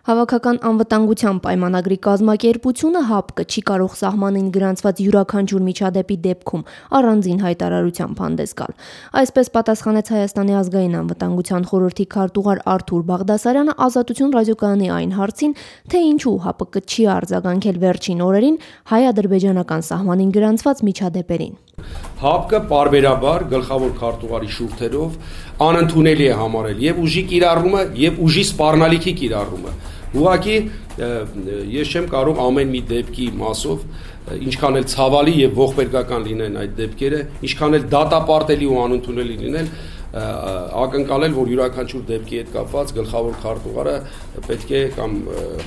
Հավաքական անվտանգության պայմանագրի կազմակերպությունը ՀԱՊԿ չի կարող սահմանին գրանցված յուրաքանչյուր միջադեպի դեպքում առանձին հայտարարությամբ հանդես գալ։ Այսպես պատասխանեց Հայաստանի ազգային անվտանգության խորհրդի քարտուղար Արթուր Բաղդասարյանը Ազատություն ռադիոկայանի այն հարցին, թե ինչու ՀԱՊԿ չի արձագանքել վերջին օրերին հայ-ադրբեջանական սահմանին գրանցված միջադեպերին։ ՀԱՊԿ պարբերաբար գլխավոր քարտուղարի շուրթերով անընդունելի է համարել եւ ուժի կիրառումը եւ ուժի սպառնալիքի կիրառումը։ Ուղղակի ես չեմ կարող ամեն մի դեպքի մասով, ինչքան էլ ցավալի եւ ողբերգական լինեն այդ դեպքերը, ինչքան էլ դատապարտելի ու անընդունելի լինեն, ակնկալել, որ յուրաքանչյուր դեպքի հետ կապված գլխավոր քարտուղարը պետք է կամ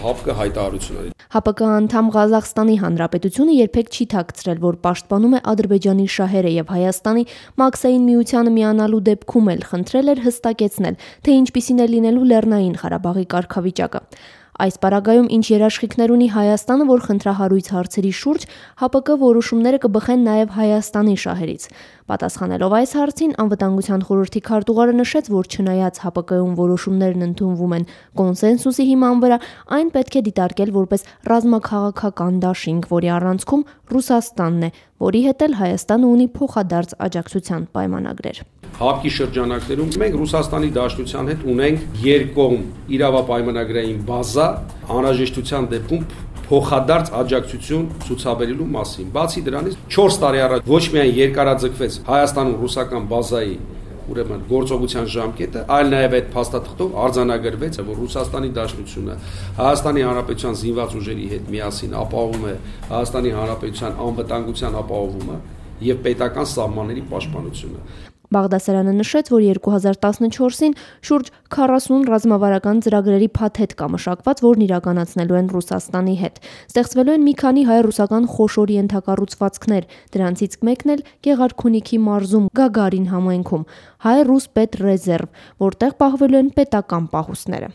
ՀԱՊԿ հայտարարություն արի։ ՀԱՊԿ անդամ Ղազախստանի Հանրապետությունը երբեք չի թաքցրել, որ պաշտպանում է Ադրբեջանի շահերը եւ Հայաստանի Մաքսային միությանը միանալու դեպքում էլ խնդրել էր հստակեցնել, թե ինչպիսին է լինելու Լեռնային Ղարաբաղի կարգավիճակը։ Այս պարագայում ինչ երաշխիքներ ունի Հայաստանը, որ խնդրահարույց հարցերի շուրջ ՀԱՊԿ որոշումները կբխեն նաև Հայաստանի շահերից։ Պատասխանելով այս հարցին, անվտանգության խորհրդի քարտուղարը նշեց, որ չնայած ՀԱՊԿ-ում որոշումներն ընդունվում են կոնսենսուսի հիման վրա, այն պետք է դիտարկել որպես ռազմաքաղաքական դաշինք, որի առանցքում Ռուսաստանն է, որի հետ էլ Հայաստանը ունի փոխադարձ աջակցության պայմանագրեր։ ՀԱՊԿ-ի շրջանակներում մենք Ռուսաստանի Դաշնության հետ ունենք երկկողմ իրավապայմանագրային բազա անհրաժեշտության դեպքում փոխադարձ աջակցություն ցուցաբերելու մասին։ Բացի դրանից 4 տարի առաջ ոչ միայն երկարաձգվեց Հայաստանում ռուսական բազայի ուրեմն գործողության ժամկետը, այլ նաև այդ փաստաթղթով արձանագրվեց, որ Ռուսաստանի Դաշնությունը Հայաստանի Հանրապետության զինված ուժերի հետ միասին ապահովում է Հայաստանի Հանրապետության անվտանգության ապահովումը եւ պետական սահմանների պաշտպանությունը։ Բաղդասարյանը նշեց, որ 2014-ին շուրջ 40 ռազմավարական ծրագրերի փաթեթ կա մշակված, որն իրականացնելու են Ռուսաստանի հետ։ Ստեղծվելու են մի քանի հայ-ռուսական խոշոր ենթակառուցվածքներ, դրանցից մեկն էլ Գեղարքունիքի մարզում Գագարին համայնքում, հայ-ռուս պետրեզերվ, որտեղ պահվելու են պետական պահուստները։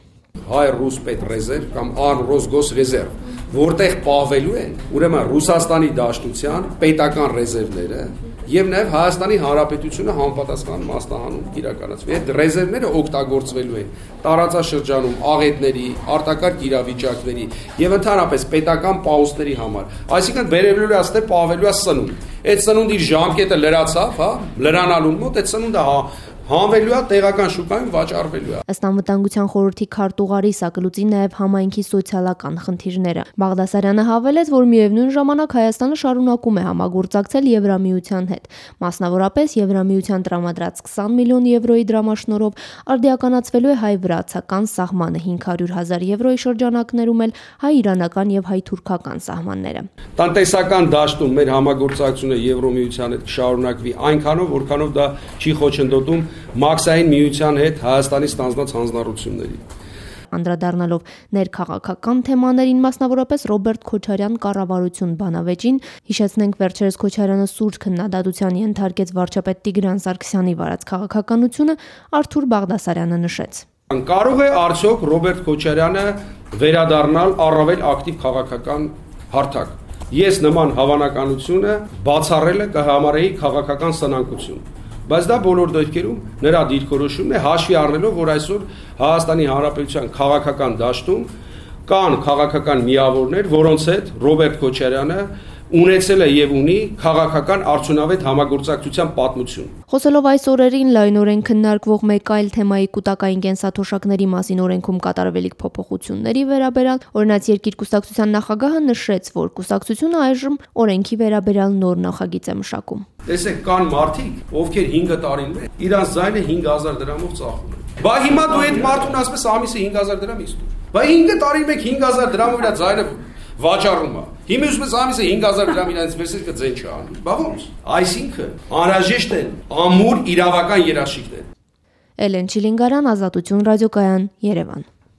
Հայ-ռուս պետրեզերվ կամ ան-ռոսգոս ռեզերվ, որտեղ պահվելու են ուրեմն Ռուսաստանի Դաշնության պետական ռեզերվները եւ նաեւ Հայաստանի Հանրապետությունը համապատասխան մասնահանում իրականացվի։ Այդ ռեզերվները օգտագործվելու են տարածաշրջանում աղետների, արտակարգ իրավիճակների եւ ընդհանրապես պետական պահուստների համար։ Այսինքն վերևելու է ասել պահվելու է սնունդ։ Այդ սնունդի ժամկետը լրացավ, լրանալուն մոտ այդ սնունդը հանվելու է տեղական շուկայում վաճառվելու է։ Ըստ անվտանգության խորհրդի քարտուղարի սա կլուծի նաև համայնքի սոցիալական խնդիրները։ Բաղդասարյանը հավելեց, որ միևնույն ժամանակ Հայաստանը շարունակում է համագործակցել Եվրամիության հետ։ Մասնավորապես Եվրամիության տրամադրած 20 միլիոն եվրոյի դրամաշնորհով արդիականացվելու է հայ-վրացական սահմանը, 500,000 եվրոյի շրջանակներում էլ հայ-իրանական եւ հայ-թուրքական սահմանները։ Տնտեսական դաշտում մեր համագործակցությունը Եվրամիության հետ կշարունակվի այնքանով, որքանով դա չի խոչընդոտում Մաքսային միության հետ Հայաստանի ստանձնած հանձնառությունների։ Անդրադառնալով ներքաղաքական թեմաներին, մասնավորապես Ռոբերտ Քոչարյան կառավարություն բանավեճին, հիշեցնենք վերջերս Քոչարյանը սուրճ քննադատության ենթարկեց վարչապետ Տիգրան Սարգսյանի վարած քաղաքականությունը, Արթուր Բաղդասարյանը նշեց. Կարող է արդյոք Ռոբերտ Քոչարյանը վերադառնալ առավել ակտիվ քաղաքական հարթակ։ Ես նման հավանականությունը բացառելը կհամարեի քաղաքական սնանկություն։ Բայց դա բոլոր դեպքերում նրա դիրքորոշումն է, հաշվի առնելով, որ այսօր Հայաստանի Հանրապետության քաղաքական դաշտում կան քաղաքական միավորներ, որոնց հետ Ռոբերտ Քոչարյանը ունեցել է եւ ունի քաղաքական արդյունավետ համագործակցության պատմություն։ Խոսելով այս օրերին լայնորեն քննարկվող մեկ այլ թեմայի կուտակային կենսաթոշակների մասին օրենքում կատարվելիք փոփոխությունների վերաբերյալ, օրինաց երկիր կուսակցության նախագահը նշեց, որ կուսակցությունը այժմ օրենքի վերաբերյալ նոր նախագիծ է մշակում։ Տեսեք, կան մարդիկ, ովքեր 5 տարին մեկ իրանց ձայնը 5000 դրամով ծախում են։ Բա հիմա դու այդ մարդուն ասես ամիսը 5000 դրամ իսկ դու։ Բա 5 տարին մեկ 5000 դրամով իր ձայնը վաճառում է։ Հիմա ուզում ես ամիսը 5000 դրամ իրանց վերսել կձեն չանի։ Բա ո՞նց։ Այսինքն անհրաժեշտ են ամուր իրավական երաշխիքներ։ Էլեն Չիլինգարյան, Ազատություն ռադիոկայան, Երևան։